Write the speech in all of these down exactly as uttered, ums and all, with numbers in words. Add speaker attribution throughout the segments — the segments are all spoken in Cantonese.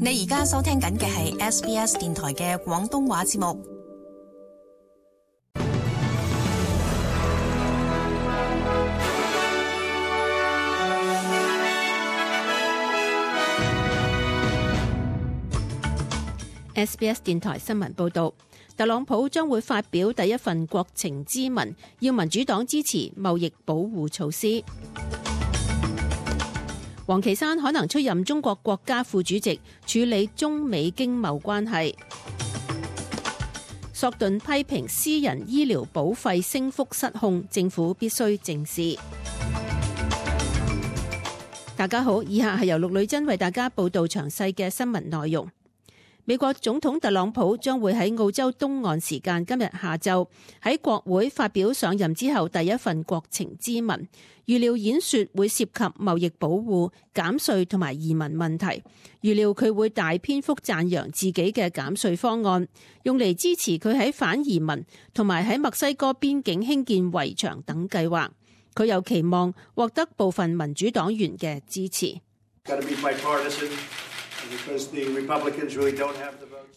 Speaker 1: 你而家收聽緊嘅係 S B S 電台嘅廣東話節目。
Speaker 2: S B S 電台新聞報道，特朗普將會發表第一份國情咨文，要民主黨支持貿易保護措施。王岐山可能出任中國國家副主席，處理中美經貿關係。索頓批評私人醫療保費升幅失控，政府必須正視。大家好，以下係由陸女珍為大家報道詳細嘅新聞內容。美國總統特朗普將會喺澳洲東岸時間今日下晝喺國會發表上任之後第一份國情咨文，預料演說會涉及貿易保護、減稅同埋移民問題。預料佢會大篇幅讚揚自己嘅減稅方案，用嚟支持佢喺反移民同埋喺墨西哥邊境興建圍牆等計劃。佢又期望獲得部分民主黨員嘅支持。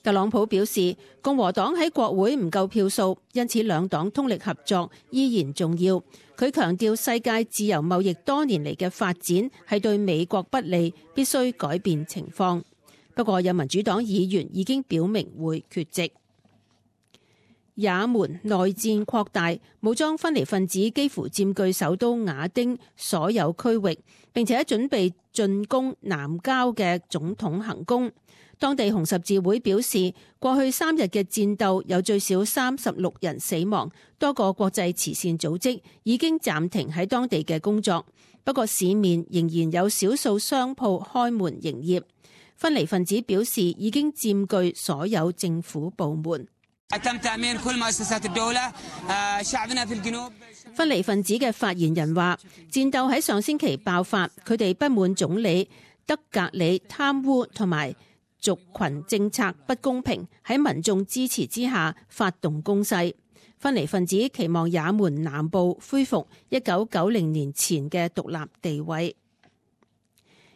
Speaker 2: 特朗普表示，共和黨喺國會唔夠票數，因此兩黨通力合作依然重要。佢強調世界自由貿易多年嚟嘅發展係對美國不利，必須改變情況。不過有民主黨議員已經表明會缺席。也門內戰擴大，武裝分離分子幾乎佔據首都雅丁所有區域，並且準備進攻南郊嘅總統行宮。當地紅十字會表示，過去三日嘅戰鬥有最少三十六人死亡，多個國際慈善組織已經暫停喺當地嘅工作。不過市面仍然有少數商鋪開門營業。分離分子表示已經佔據所有政府部門。分離分子嘅發言人話，戰鬥喺上星期爆發，佢哋不滿總理德格里貪污同埋族群政策不公平，喺民眾支持之下發動攻勢。分離分子期望也門南部恢復一九九零年前嘅獨立地位。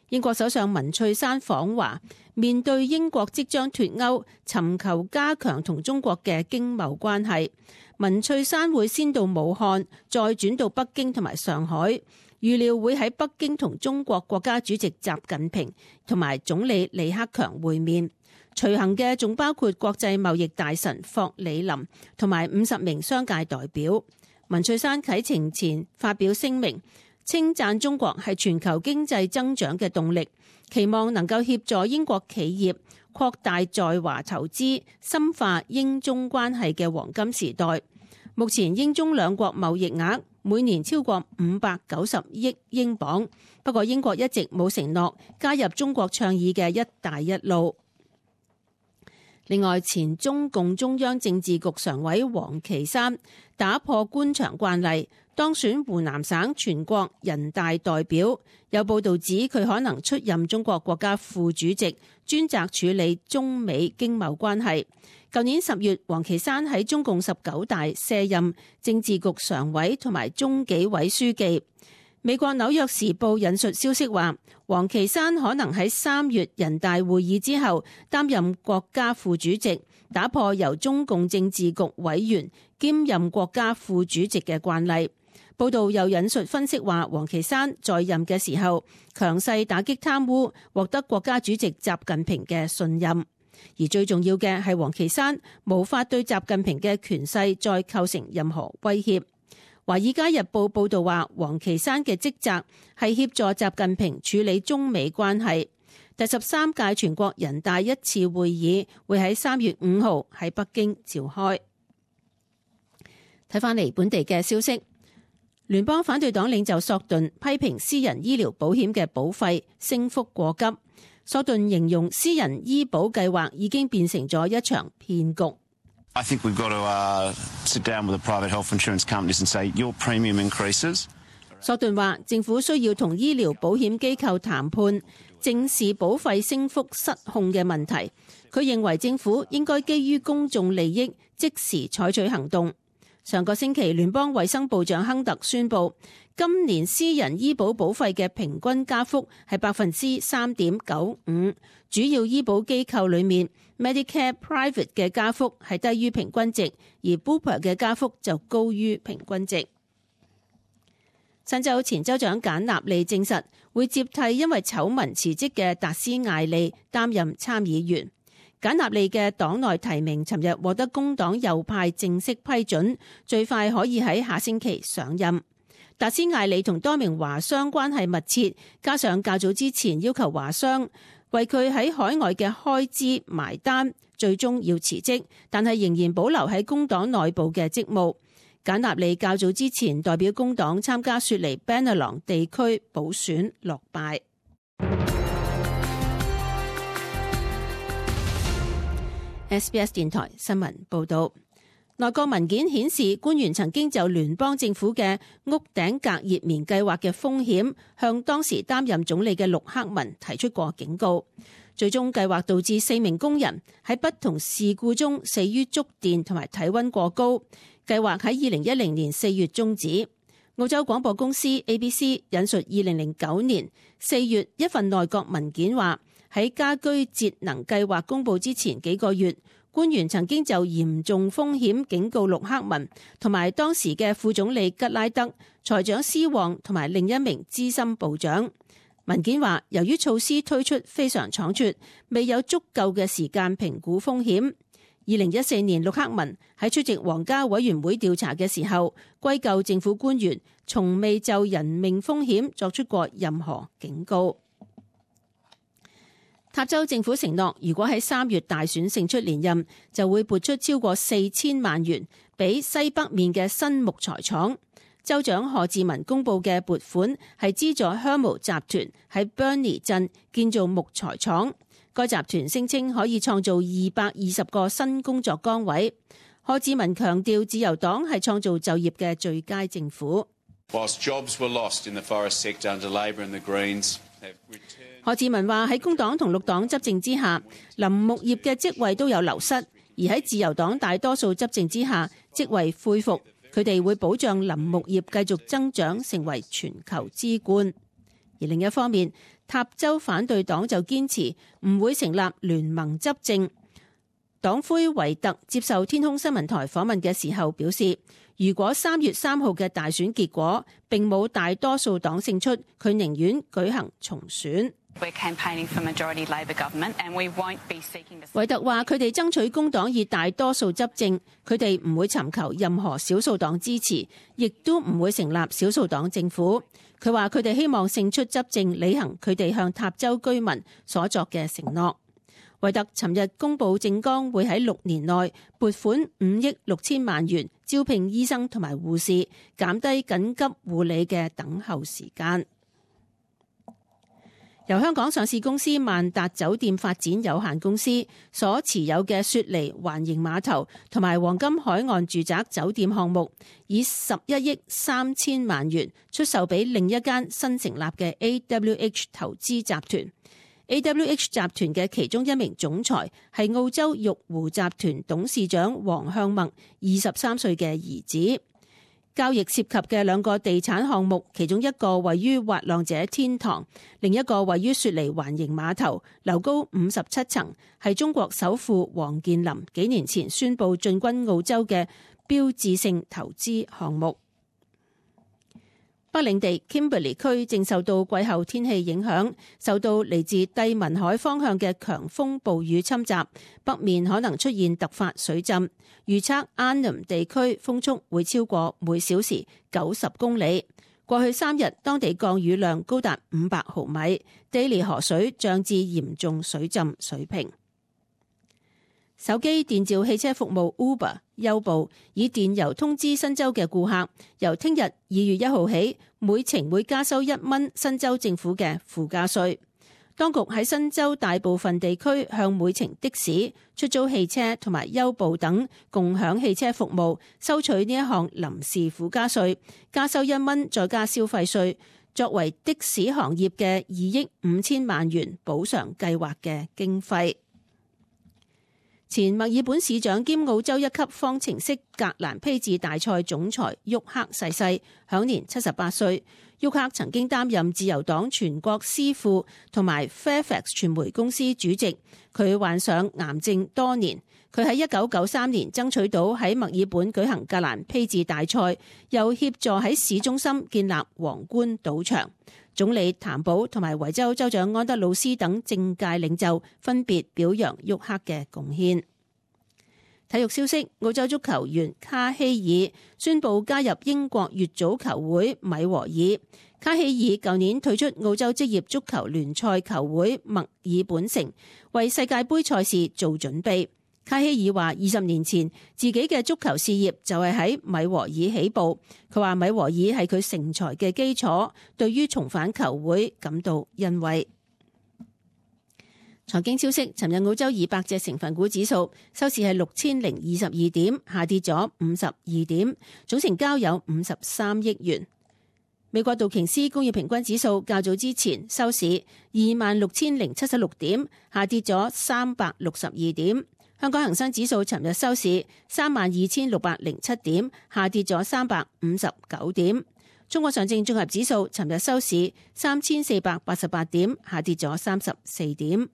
Speaker 2: 英國首相文翠珊訪華，面對英國即將脫歐，尋求加強同中國嘅經貿關係。文翠珊會先到武漢，再轉到北京同埋上海，預料會喺北京同中國國家主席習近平同埋總理李克強會面。隨行嘅仲包括國際貿易大臣霍里林同埋五十名商界代表。文翠珊啟程前發表聲明，稱讚中國係全球經濟增長嘅動力，期望能夠協助英國企業擴大在華投資，深化英中關係嘅黃金時代。目前英中兩國貿易額每年超過五百九十億英鎊，不過英國一直冇承諾加入中國倡議嘅一帶一路。另外，前中共中央政治局常委王岐山打破官場慣例，當選湖南省全國人大代表。有報道指佢可能出任中國國家副主席，專責處理中美經貿關係。舊年十月，王岐山喺中共十九大卸任政治局常委同埋中紀委書記。美國紐約時報引述消息話，王岐山可能喺三月人大會議之後擔任國家副主席，打破由中共政治局委員兼任國家副主席嘅慣例。報道又引述分析話，王岐山在任嘅時候強勢打擊貪污，獲得國家主席習近平嘅信任。而最重要嘅係，王岐山無法對習近平嘅權勢再構成任何威脅。《華爾街日報》報道話，王岐山嘅職責係協助習近平處理中美關係。第十三屆全國人大一次會議會喺三月五號喺北京召開。睇返嚟本地嘅消息，聯邦反對黨領袖索頓批評私人醫療保險嘅保費升幅過急。索頓形容私人醫保計劃已經變成咗一場騙局。
Speaker 3: I think we've got to, uh, sit down with the private health insurance companies and say your premium increases.
Speaker 2: 索頓話，政府需要同醫療保險機構談判，正視保費升幅失控嘅問題。佢認為政府應該基於公眾利益，即時採取行動。上個星期，聯邦衛生部長亨特宣布，今年私人醫保保費嘅平均加幅係百分之三點九五，主要醫保機構裏面 Medicare Private 嘅加幅係低於平均值，而 Bupa 嘅加幅就高於平均值。新州前州長簡納利證實會接替因為醜聞辭職嘅達斯艾利擔任參議員。簡納利嘅黨內提名尋日獲得工黨右派正式批准，最快可以喺下星期上任。達斯艾利同多名華商關係密切，加上較早之前要求華商為佢喺海外嘅開支埋單，最終要辭職，但係仍然保留喺工黨內部嘅職務。簡納利較早之前代表工黨參加雪梨 Bennelong 地區補選落敗。S B S 電台新聞報道，內閣文件顯示，官員曾經就聯邦政府嘅屋頂隔熱棉計劃嘅風險，向當時擔任總理嘅陸克文提出過警告。最終計劃導致四名工人喺不同事故中死於觸電同埋體溫過高。計劃喺二零一零年四月終止。澳洲廣播公司 A B C 引述二零零九年四月一份內閣文件話，喺家居節能計劃公布之前幾個月，官員曾經就嚴重風險警告陸克文同埋當時嘅副總理吉拉德、財長斯旺同埋另一名資深部長。文件話，由於措施推出非常倉促，未有足夠嘅時間評估風險。二零一四年，陸克文喺出席皇家委員會調查嘅時候，歸咎政府官員從未就人命風險作出過任何警告。塔州政府承諾，如果喺三月大選勝出連任，就會撥出超過四千萬元俾西北面嘅新木材廠。州長賀志文公布嘅撥款係資助 Hermo 集團喺 Burnie 鎮建造木材廠。該集團聲稱可以創造二百二十個新工作崗位。賀志文強調，自由黨係創造就業嘅最佳政府。賀志文話，喺工黨同綠黨執政之下，林木業嘅職位都有流失，而喺自由黨大多數執政之下，職位恢復。佢哋會保障林木業繼續增長，成為全球之冠。而另一方面，塔州反對黨就堅持唔會成立聯盟執政。黨魁維特接受天空新聞台訪問嘅時候表示，如果三月三號嘅大選結果並冇大多數黨勝出，佢寧願舉行重選。維特話：佢哋爭取工黨以大多數執政，佢哋唔會尋求任何少數黨支持，亦都唔會成立少數黨政府。佢話：佢哋希望勝出執政，履行佢哋向塔州居民所作嘅承諾。維特尋日公布政綱，會喺六年內撥款五億六千萬元，招聘醫生同埋護士，減低緊急護理嘅等候時間。由香港上市公司萬達酒店發展有限公司所持有嘅雪梨環形碼頭同埋黃金海岸住宅酒店項目，以十一億三千萬元出售俾另一間新成立嘅 A W H 投資集團。A W H 集團嘅其中一名總裁係澳洲玉湖集團董事長黃向墨二十三歲嘅兒子。交易涉及嘅兩個地產項目，其中一個位於滑浪者天堂，另一個位於雪梨環形碼頭，樓高五十七層，係中國首富王健林幾年前宣布進軍澳洲嘅標誌性投資項目。北領地 Kimberley 區正受到季候天氣影響，受到嚟自帝汶海方向嘅強風暴雨侵襲，北面可能出現突發水浸。預測 Arnhem 地區風速會超過每小時九十公里。過去三日當地降雨量高達五百毫米，Daly 河水漲至嚴重水浸水平。手機電召汽車服務 Uber 優步以電郵通知新州嘅顧客，由聽日二月一號起，每程會加收一蚊新州政府嘅附加稅。當局喺新州大部分地區向每程的士、出租汽車同埋優步等共享汽車服務收取呢一項臨時附加稅，加收一蚊再加消費稅，作為的士行業嘅二億五千萬元補償計劃嘅經費。前墨爾本市長兼澳洲一級方程式格蘭披治大賽總裁沃克逝世，享年七十八歲。沃克曾經擔任自由黨全國司庫同埋 Fairfax 傳媒公司主席，佢患上癌症多年。佢喺一九九三年爭取到喺墨爾本舉行格蘭披治大賽，又協助喺市中心建立皇冠賭場。總理譚寶同埋維州州長安德魯斯等政界領袖分別表揚沃克嘅貢獻。體育消息，澳洲足球員卡希爾宣布加入英國乙組球會米和爾。卡希爾舊年退出澳洲職業足球聯賽球會墨爾本城，為世界盃賽事做準備。卡希爾話：二十年前自己嘅足球事業就係喺米和爾起步。佢話米和爾係佢成才嘅基礎，對於重返球會感到欣慰。財經消息，尋日澳洲二百隻成分股指數收市係六千零二十二點，下跌咗五十二點，總成交有五十三億元。美國道瓊斯工業平均指數較早之前收市二萬六千零七十六點，下跌咗三百六十二點。香港恒生指數尋日收市三萬二千六百零七點，下跌咗三百五十九點。中國上證綜合指數尋日收市三千四百八十八點，下跌咗三十四點。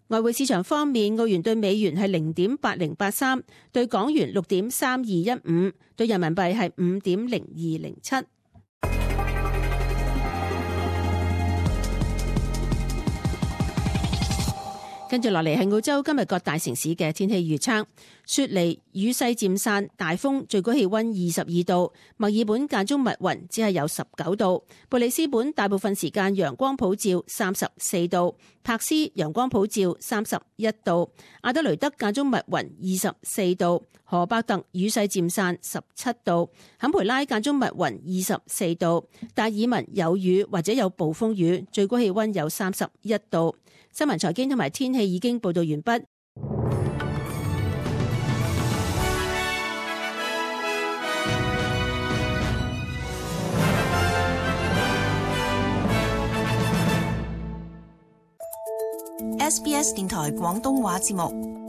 Speaker 2: 外匯市場方面，澳元對美元係零點八零八三，對港元六點三二一五，對人民幣係五點零二零七。跟住落嚟係澳洲今日各大城市嘅天氣預測：雪梨雨勢漸散，大風，最高氣溫二十二度；墨爾本間中密雲，只係有十九度；布里斯本大部分時間陽光普照，三十四度；柏斯陽光普照，三十一度；阿德雷德間中密雲，二十四度；荷伯特雨勢漸散，十七度；坎培拉間中密雲，二十四度；達爾文有雨或者有暴風雨，最高氣溫有三十一度。新聞財經同埋天氣已經報道完畢。
Speaker 1: S B S 電台廣東話節目。